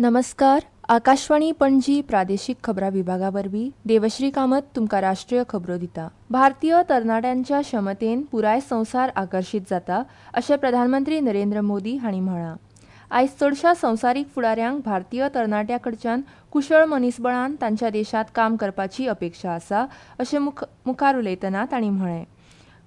नमस्कार, आकाशवाणी पणजी प्रादेशीक खबरां विभागा वरवीं देवश्री कामत तुमकां राष्ट्रीय खबरो दिता. भारतीय तरणाट्यांच्या क्षमतेन पुराय संवसार आकर्शीत जाता अशें प्रधानमंत्री नरेंद्र मोदी हांणी म्हळां. आयज चडशा संवसारीक फुडाऱ्यांक भारतीय तरणाट्यां कडच्यान कुशळ मनीसबळान तांच्या देशांत काम करपाची अपेक्षा आसा अशें मुखार उलयतना तांणी म्हळें.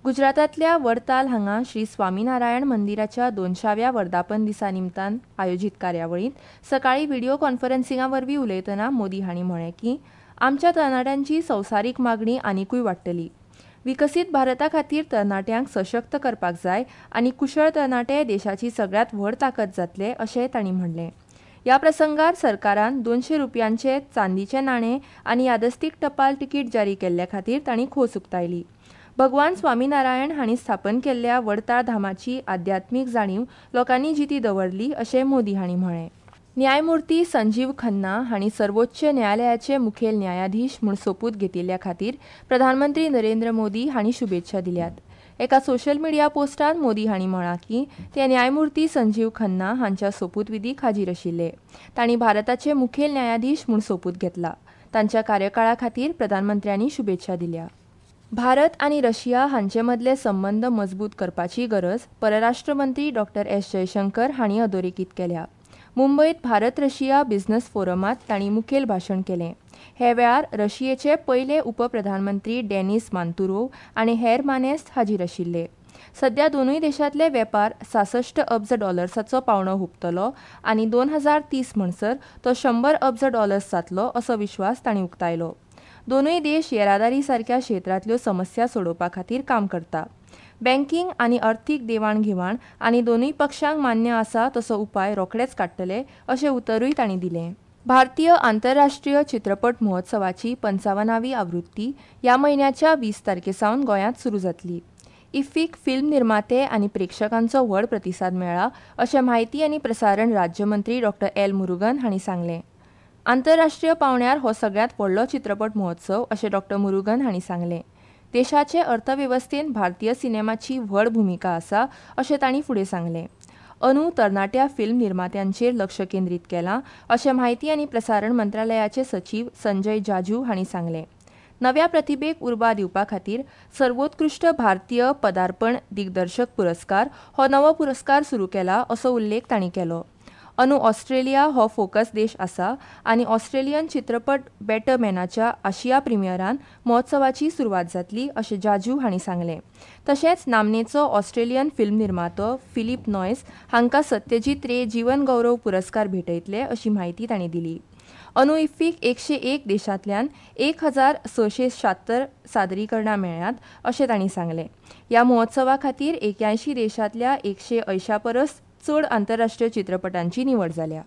गुजरातांतल्या वडताल हांगा श्री स्वामीनारायण मंदिराच्या 200व्या वर्धापन दिसा निमतान आयोजीत कार्यावळींत सकाळीं व्हिडिओ कॉन्फरन्सिंगा वरवीं उलयतना मोदी हांणी म्हळें की आमच्या तरणाट्यांची संवसारीक मागणी आनिकूय वाडटली. विकसीत भारता खातीर तरणाट्यांक सशक्त करपाक जाय आनी कुशळ तरणाटे देशाची सगळ्यांत व्हड ताकद जातले अशेंय तांणी म्हणलें. ह्या प्रसंगार सरकारान 200 रुपयांचे चांदीचे नाणे आनी यादस्तीक टपाल तिकीट जारी केल्ल्या खातीर तांणी खोस उक्तायली. भगवान स्वामीनारायण हांणी स्थापन केल्ल्या वडताळ धामाची आध्यात्मीक जाणीव लोकांनी जिती दवरली अशें मोदी हांणी म्हळें. न्यायमुर्ती संजीव खन्ना हांणी सर्वोच्च न्यायालयाचे मुखेल न्यायाधीश म्हूण सोपूत घेतिल्ल्या खातीर प्रधानमंत्री नरेंद्र मोदी हांणी शुभेच्छा दिल्यात. एका सोशल मिडिया पोस्टांत मोदी हांणी म्हळां की ते न्यायमुर्ती संजीव खन्ना हांच्या सोपूतविधीक हाजीर आशिल्ले. तांणी भारताचे मुखेल न्यायाधीश म्हूण सोपूत घेतला. तांच्या कार्यकाळा खातीर प्रधानमंत्र्यांनी शुभेच्छा दिल्या. भारत आनी रशिया हांचे मदले संबंद मजबूत करपाची गरज परराष्ट्र मंत्री डॉ. एस जयशंकर हांणी अधोरेखीत केल्या. मुंबयत भारत रशिया बिझनेस फोरमांत तांणी मुखेल भाशण केलें. हे वेळार रशियेचे पयले उपप्रधानमंत्री डेनिस मांतुरोव आनी हेर मानेस्त हाजीर आशिल्ले. सध्या दोनूय देशांतले वेपार 66 अब्ज डॉलर्साचो पावंडो हुपतलो आनी 2030 म्हणसर तो 100 अब्ज डॉलर्स जातलो असो विश्वास तांणी उक्तायलो. दोनूय देश येरादारी सारक्या क्षेत्रांतल्यो समस्या सोडोवपा खातीर काम करता. बँकींग आनी अर्थीक देवाण घेवाण आनी दोनूय पक्षांक मान्य आसा तसो उपाय रोखडेच काडटले अशें उतरूय तांणी दिलें. भारतीय आंतरराष्ट्रीय चित्रपट महोत्सवाची 55वी आवृत्ती ह्या म्हयन्याच्या 20 तारखे सावन गोंयांत सुरू जातली. इफ्फीक फिल्म निर्माते आनी प्रेक्षकांचो व्हड प्रतिसाद मेळ्ळा अशें म्हायती आनी प्रसारण राज्यमंत्री डॉ. एल मुरुगन हांणी सांगलें. आंतरराष्ट्रीय पावंड्यार हो सगळ्यांत व्हडलो चित्रपट महोत्सव अशें डॉ. मुरुगन हांणी सांगलें. देशाचे अर्थवेवस्थेंत भारतीय सिनेमाची व्हड भुमिका आसा अशें तांणी फुडें सांगलें. अंदू तरणाट्या फिल्म निर्मात्यांचेर लक्ष केंद्रीत केलां अशें म्हायती आनी प्रसारण मंत्रालयाचे सचीव संजय जाजू हांणी सांगलें. नव्या प्रतिभेक उर्बा दिवपा खातीर सर्वोत्कृश्ट भारतीय पदार्पण दिग्दर्शक पुरस्कार हो नवो पुरस्कार सुरू केला असो उल्लेख तांणी केलो. अंदू ऑस्ट्रेलिया हो फोकस देश आसा आनी ऑस्ट्रेलियन चित्रपट बेटर मॅनाच्या आशिया प्रिमियरान महोत्सवाची सुरवात जातली अशें जाजू हांणी सांगलें. तशेंच नामनेचो ऑस्ट्रेलियन फिल्म निर्मातो फिलीप नॉयस हांकां सत्यजीत रे जीवन गौरव पुरस्कार भेटयतले अशी म्हायती तांणी दिली. अंदू इफ्फीक 101 देशांतल्यान 1676 सादरीकरणां मेळ्ळ्यांत अशें तांणी सांगलें. ह्या महोत्सवा खातीर 81 देशांतल्या 180 परस चड आंतरराष्ट्रीय चित्रपटांची निवड जाल्या.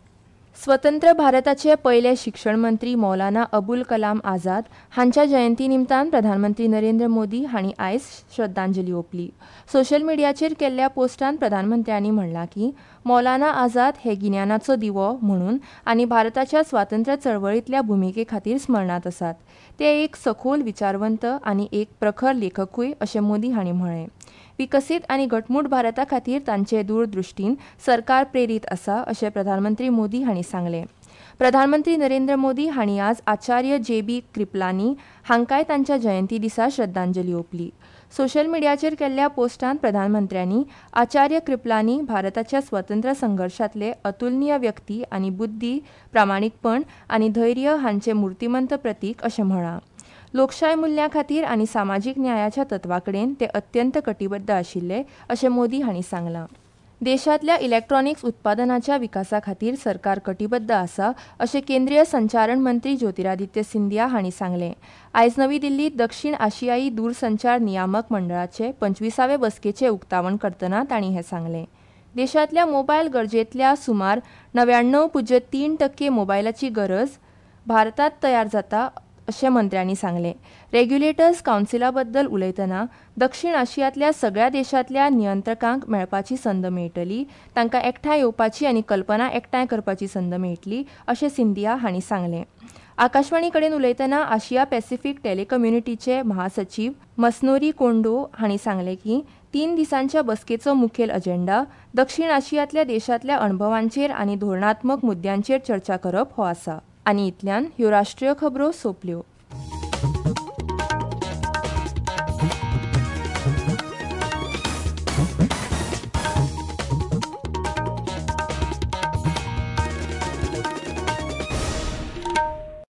स्वतंत्र भारताचे पयले शिक्षण मंत्री मौलाना अबुल कलाम आझाद हांच्या जयंती निमतान प्रधानमंत्री नरेंद्र मोदी हांणी आयज श्रद्धांजली ओंपली. सोशल मिडियाचेर केल्ल्या पोस्टांत प्रधानमंत्र्यांनी म्हणलां की मौलाना आझाद हे गिन्यानाचो दिवो म्हणून आनी भारताच्या स्वातंत्र्य चळवळींतल्या भुमिके खातीर स्मरणांत आसात. ते एक सखोल विचारवंत आनी एक प्रखर लेखकूय अशें मोदी हांणी म्हळें. विकसीत आनी घटमूट भारता खातीर तांचे दूरदृश्टीन सरकार प्रेरीत आसा अशें प्रधानमंत्री मोदी हांणी सांगलें. प्रधानमंत्री नरेंद्र मोदी हांणी आज आचार्य जे बी कृपलानी हांकांय तांच्या जयंती दिसा श्रद्धांजली ओंपली. सोशल मिडियाचेर केल्ल्या पोस्टांत प्रधानमंत्र्यांनी आचार्य कृपलानी भारताच्या स्वतंत्र संघर्शांतले अतुलनीय व्यक्ती आनी बुद्धी, प्रामाणीकपण आनी धैर्य हांचे मूर्तिमंत प्रतीक अशें म्हळां. लोकशाय मुल्यां खातीर आनी सामाजीक न्यायाच्या तत्वा कडेन ते अत्यंत कटिबद्ध आशिल्ले अशें मोदी हांणी सांगलां. देशांतल्या इलेक्ट्रॉनिक्स उत्पादनाच्या विकासा खातीर सरकार कटिबद्ध आसा अशें केंद्रीय संचारण मंत्री ज्योतिरादित्य सिंधिया हांणी सांगलें. आयज नवी दिल्लींत दक्षिण आशियाई दूरसंचार नियामक मंडळाचे 25वे बसकेचें उक्तावण करतना तांणी हें सांगलें. देशांतल्या मोबायल गरजेंतल्या सुमार 99.3% मोबायलाची गरज भारतांत तयार जाता अशें मंत्र्यांनी सांगलें. रेग्युलेटर्स कावन्सिला बद्दल उलयतना दक्षिण आशियांतल्या सगळ्या देशांतल्या नियंत्रकांक मेळपाची संद मेळटली, तांकां एकठांय येवपाची आनी कल्पना एकठांय करपाची संद मेळटली अशें सिंधिया हांणी सांगलें. आकाशवाणी कडेन उलयतना आशिया पॅसिफीक टेलिकम्युनिटीचे महासचीव मसनोरी कोंडो हांणी सांगलें की तीन दिसांच्या बसकेचो मुखेल अजेंडा दक्षीण आशियांतल्या देशांतल्या अणभवांचेर आनी धोरणात्मक मुद्द्यांचेर चर्चा करप हो आसा. आनी इतल्यान ह्यो राष्ट्रीय खबरो सोंपल्यो.